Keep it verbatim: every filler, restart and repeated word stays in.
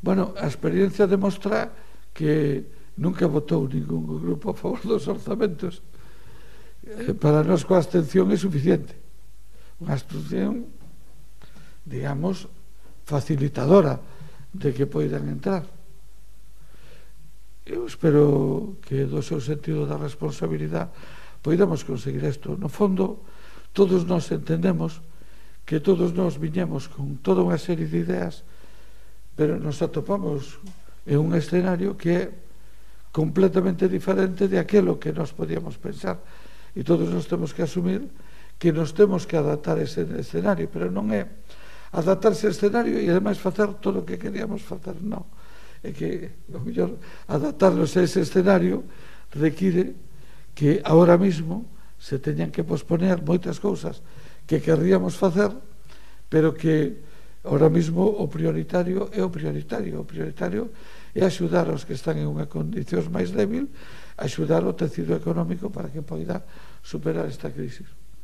Bueno, a experiencia demostra que nunca votou ningún grupo a favor dos orzamentos. Para nós coa abstención é suficiente. Unha abstención, digamos, facilitadora de que poidan entrar. Eu espero que do seu sentido da responsabilidade poidamos conseguir isto. No fondo, todos nós entendemos que todos nós viñemos con toda unha serie de ideas, pero nos atopamos en un escenario que é completamente diferente de aquilo que nós podíamos pensar, e todos nós temos que asumir que nos temos que adaptar a ese escenario, pero non é adaptarse ao escenario e ademais facer todo o que queríamos facer, non. É que, o mellor, adaptarnos a ese escenario require que ahora mismo se teñan que posponer moitas cousas que querríamos facer, pero que ahora mismo o prioritario é o prioritario. O prioritario é axudar aos que están en unha condición máis débil, axudar o tecido económico para que poida superar esta crisis.